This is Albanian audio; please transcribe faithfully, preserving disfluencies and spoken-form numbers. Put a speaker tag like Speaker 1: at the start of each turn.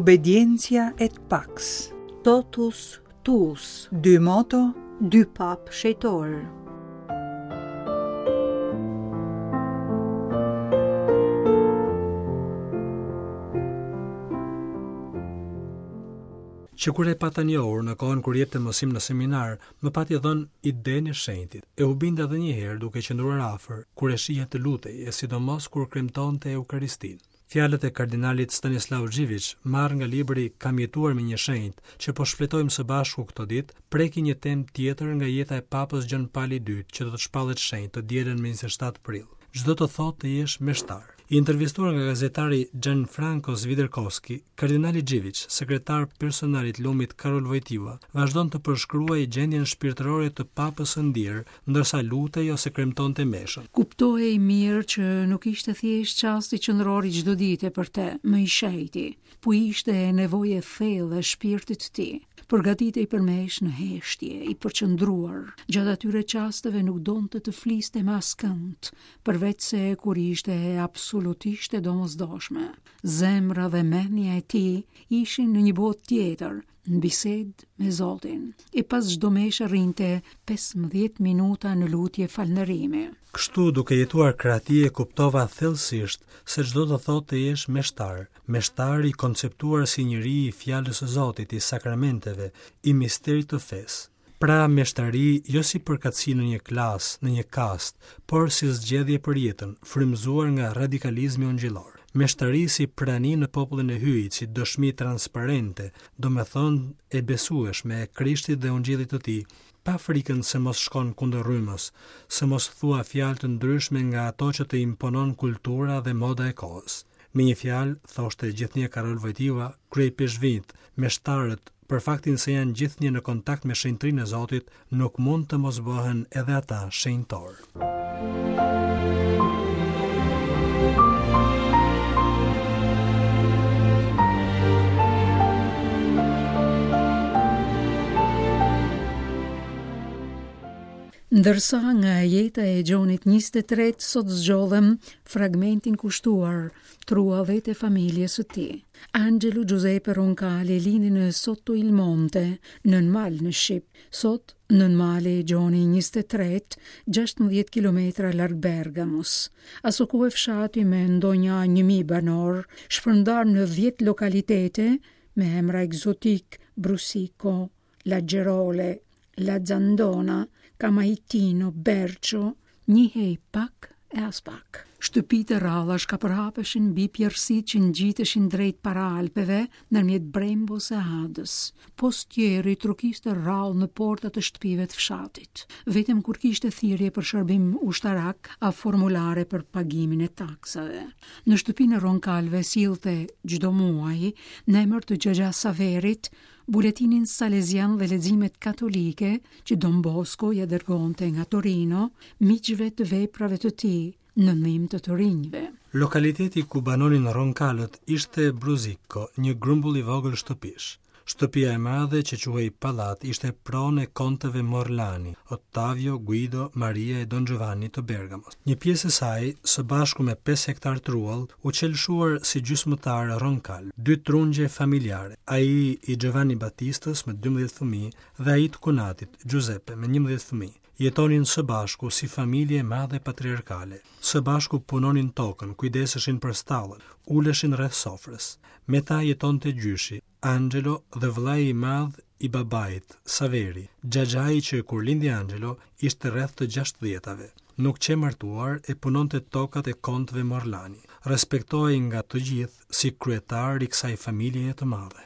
Speaker 1: Obedientia et pax.
Speaker 2: Totus tuus.
Speaker 1: Dy moto,
Speaker 2: dy papë shenjtorë.
Speaker 3: Që kur e pata njohur në kohën kur jepte mësim në seminar, më pati dhënë idenë e shenjtit. E u binda edhe një herë duke qëndruar afër, kur e shihja të lutej, e sidomos kur kremtonte Eukaristinë. Fjalët e kardinalit Stanislav Zhivich, marrë nga libri Kam jetuar me një shenjt, që po shfletojmë së bashku këto ditë, prekin një temë tjetër nga jeta e Papës Gjon Pali i Dytë, që do të shpallet shenjt të dielën më njëzet e shtatë prill. Ç'do të thotë të jesh meshtar? I intervistuar nga gazetari Gianfranco Sviderkowski, kardinali Zhivich, sekretar personal i lumit Karol Wojtyła, vazhdon të përshkruajë gjendjen shpirtërore të papës së ndjerë, ndërsa lutej ose kremtonte meshën.
Speaker 4: Kuptohej mirë që nuk ishte thjesht çasti qendror i çdo dite për të, më i shenjti, po ishte nevojë e thellë e shpirtit të tij. Përgatitej për meshë në heshtje, i përqendruar. Gjatë atyre çasteve nuk donte të fliste me askënd, përveç se kur ishte absolutisht e domosdoshme. Zemra dhe mendja e tij ishin në një botë tjetër, në bisedë me Zotin. E pas çdo meshe rrinte pesëmbëdhjetë minuta në lutje falënderimi.
Speaker 3: Kështu, duke jetuar krah tij, e kuptova thellësisht se ç'do të thotë të jesh meshtar, meshtar i konceptuar si njeri i fjalës së Zotit, i sakramenteve, i misterit të fesë. Pra meshtari jo si përkatësi në një klasë, në një kast, por si zgjedhje për jetën, frymëzuar nga radikalizmi ungjillor. Meshtari si prani në popullin e Hyjit, si dëshmi transparente, domethënë e besueshme e Krishtit dhe ungjillit të tij, pa frikën se mos shkon kundër rrymës, se mos thua fjalë të ndryshme nga ato që të imponon kultura dhe moda e kohës. Me një fjalë, thoshte gjithnjë Karol Wojtyła, kryepeshvit, meshtarët, për faktin se janë gjithnjë në kontakt me shenjtrinë e Zotit, nuk mund të mos bëhen edhe ata shenjtorë.
Speaker 4: Ndërsa nga jeta e Gjonit njëzet e tretë sot zgjodhem fragmentin kushtuar truallet e familjes së tij. Angelo Giuseppe Roncalli lindi në Sotto il Monte, nën mal në Shqip. Sot nën mali Gjoni njëzet e tretë, gjashtëmbëdhjetë kilometra larg Bergamos. Aso kohë fshati me ndonja një mijë banor, shpërndar në dhjetë lokalitete me emra egzotik, Brusico, La Gerole, La Zandona, Camaitino, Bercio, njihej pak e as pak. Shtëpitë e rralla shkapërhapeshin mbi pjerrësitë që ngjiteshin drejt para Alpeve ndërmjet Brembos e Adës. Postieri trokiste rrallë në portat e shtëpive të fshatit, vetëm kur kishte thirrje për shërbim ushtarak a formulare për pagimin e taksave. Në shtëpinë e Ronkalve sillte çdo muaj në emër të Xhaxha Saverit buletinin salezian dhe leximet katolike që Don Bosco ja dërgonte nga Torino miqve të veprave të tij në ndihmë të të rinjve.
Speaker 3: Lokaliteti ku banonin Ronkalët ishte Bruzicco, një grumbull i vogël shtëpish. Shtëpia e madhe që quhej Pallat ishte pronë e kontëve Morlani, Ottavio, Guido, Maria e Don Giovanni të Bergamos. Një pjesë e saj, së bashku me pesë hektar truall, u qelëshuar si gjysmëtar Ronkal, dy trungje familjare, ai i Giovanni Battistës me dymbëdhjetë fëmijë dhe ai të kunatit, Giuseppe, me njëmbëdhjetë fëmijë. Jetonin së bashku si familje e madhe patriarkale. Së bashku punonin tokën, kujdeseshin për stallën, uleshin rreth sofrës. Me ta jetonte gjyshi, Angelo dhe vëllai i madh i babait, Saveri, xhaxhai që kur lindi Angelo ishte rreth të gjashtëdhjetave. Nuk qe martuar e punonte tokat e kontëve Morlani. Respektohej nga të gjithë si kryetar i kësaj familjeje të madhe.